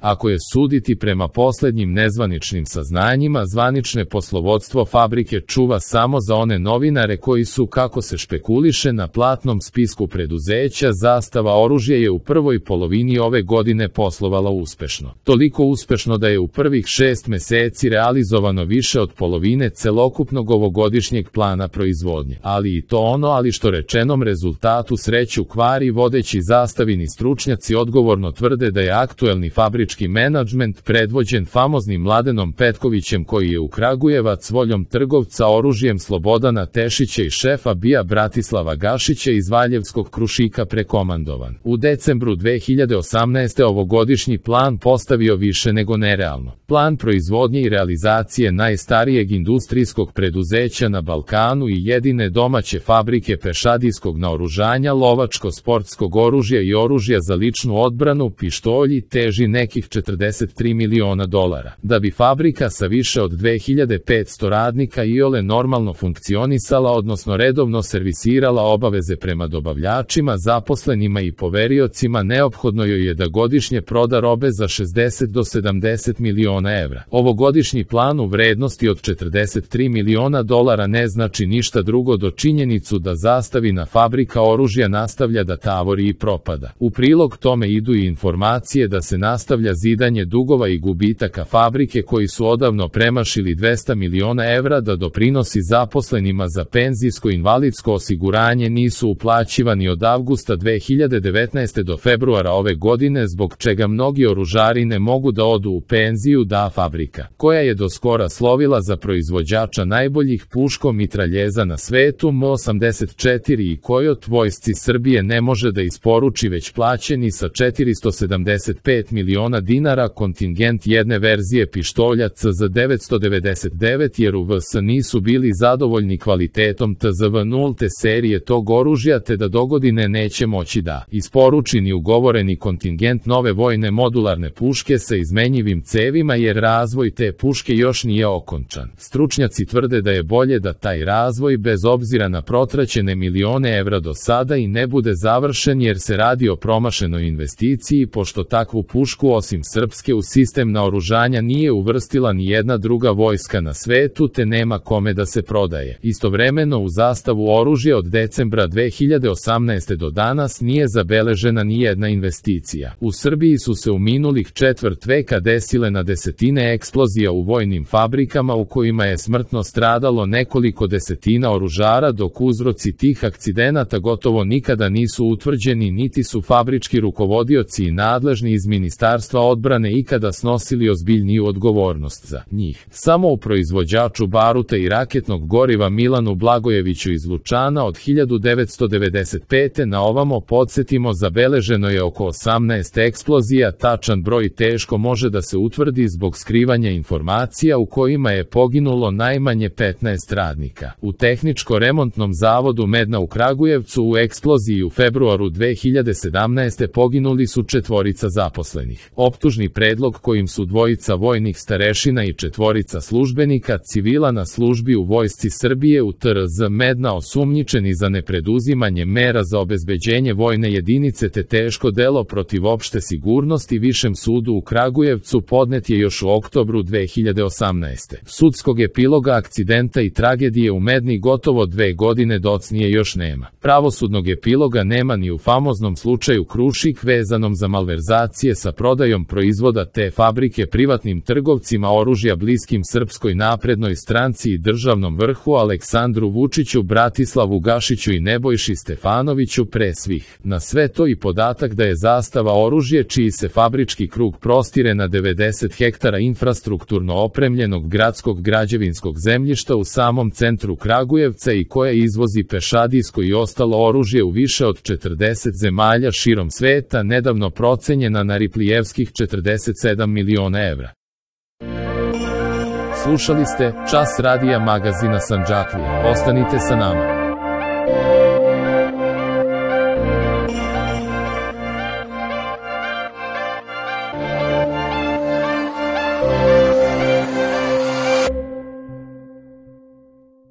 Ako je suditi prema posljednjim nezvaničnim saznanjima, zvanične poslovodstvo fabrike čuva samo za one novinare koji su, kako se špekuliše, na platnom spisku preduzeća. Zastava oružje je u prvoj polovini ove godine poslovala uspešno. Toliko uspešno da je u prvih 6 meseci realizovano više od polovine celokupnog ovogodišnjeg plana proizvodnje. Ali i to ono, ali što rečenom rezultatu sreću kvari. Vodeći zastavini stručnjaci odgovorno tvrde da je aktuelni fabrički menadžment predvođen famoznim Mladenom Petkovićem, koji je u Kragujevac voljom trgovca oružjem Slobodana Tešića i šefa BIA Bratislava Gašića iz Valjevskog Krušika prekomandovan. U decembru 2018. ovogodišnji plan postavio više nego nerealno. Plan proizvodnje i realizacije najstarijeg industrijskog preduzeća na Balkanu i jedine domaće fabrike pešadijskog naoružanja, lovačko-sportskog oružja i oružja za ličnu odbranu, pištolji, teži nekih $43 miliona. Da bi fabrika sa više od 2500 radnika iole normalno funkcionisala, odnosno redovno servisirala obaveze prema dobavljačima, zaposlenima i poveriocima, neophodno joj je da godišnje proda robe za 60 do 70 miliona evra. Ovogodišnji plan u vrednosti od $43 miliona ne znači ništa drugo do činjenicu da zastavina fabrika oružja nastavlja da tavori i propada. U prilog tome idu i informacije da se nastavlja zidanje dugova i gubitaka fabrike koji su odavno premašili 200 miliona evra, da doprinosi zaposlenima za penzijsko-invalidsko osiguranje nisu uplaćivani od avgusta 2019. do februara ove godine, zbog čega mnogi oružari ne mogu da odu u penziju, da fabrika, koja je do skora slovila za proizvođača najboljih puško-mitraljeza na svetu M84 i Kojot, vojsci Srbije ne može da isporuči već plaćeni sa $475 miliona kontingent jedne verzije pištolja CZ999, jer u VS nisu bili zadovoljni kvalitetom TZV nulte serije tog oružja, te da dogodine neće moći da isporuči ni ugovoreni kontingent nove vojne modularne puške sa izmenjivim cevima, jer razvoj te puške još nije okončan. Stručnjaci tvrde da je bolje da taj razvoj, bez obzira na protraćene milione evra do sada, i ne bude završen, jer se radi o promašenoj investiciji, pošto takvu pušku osim srpske u sistem naoružanja nije uvrstila ni jedna druga vojska na svetu, te nema kome da se prodaje. Istovremeno u zastavu oružja od decembra 2018. do danas nije zabeležena ni jedna investicija. U Srbiji su se u minulih četvrt veka desile na desetine eksplozija u vojnim fabrikama u kojima je smrtno stradalo nekoliko desetina oružara, dok uzroci tih akcidenata gotovo nikada nisu utvrđeni, niti su fabrički rukovodioci i nadležni iz Ministarstva odbrane ikada snosili ozbiljniju odgovornost za njih. Samo u proizvođaču baruta i raketnog goriva Milanu Blagojeviću iz Lučana od 1995. na ovamo, podsjetimo, zabeleženo je oko 18 eksplozija. Tačan broj teško može da se utvrdi zbog skrivanja informacija u kojima je poginulo najmanje 15 radnika. U Tehničko-remontnom zavodu Medna u Kragujevcu u eksploziji u februaru 2017. poginuli su 4 zaposlenih. Optužni predlog kojim su 2 vojnih starešina i 4 službenika civila na službi u vojsci Srbije u TRZ Medna osumnjičeni za nepreduzimanje mera za obezbeđenje vojne jedinice te teško delo protiv opšte sigurnosti Višem sudu u Kragujevcu podnet je još u oktobru 2018. Sudskog epiloga akcidenta i tragedije u Medni gotovo 2 godine docnije još nema. Pravosudnog epiloga nema ni u famoznom slučaju Krušik vezanom za malverzacije sa prodajom proizvoda te fabrike privatnim trgovcima oružja bliskim Srpskoj naprednoj stranci i državnom vrhu Aleksandru Vučiću, Bratislavu Gašiću i Nebojši Stefanoviću pre svih. Na sve to i podatak da je zastava oružje, čiji se fabrički krug prostire na 90 hektara infrastrukturno opremljenog gradskog građevinskog zemljišta u samom centru Kragujevca i koja izvozi pešadijsko i ostalo oružje u više od 40 zemalja širom sveta, nedavno procenjena na riplijevskih 47 miliona evra. Slušali ste Čas radija magazina Sandžaklija. Ostanite sa nama.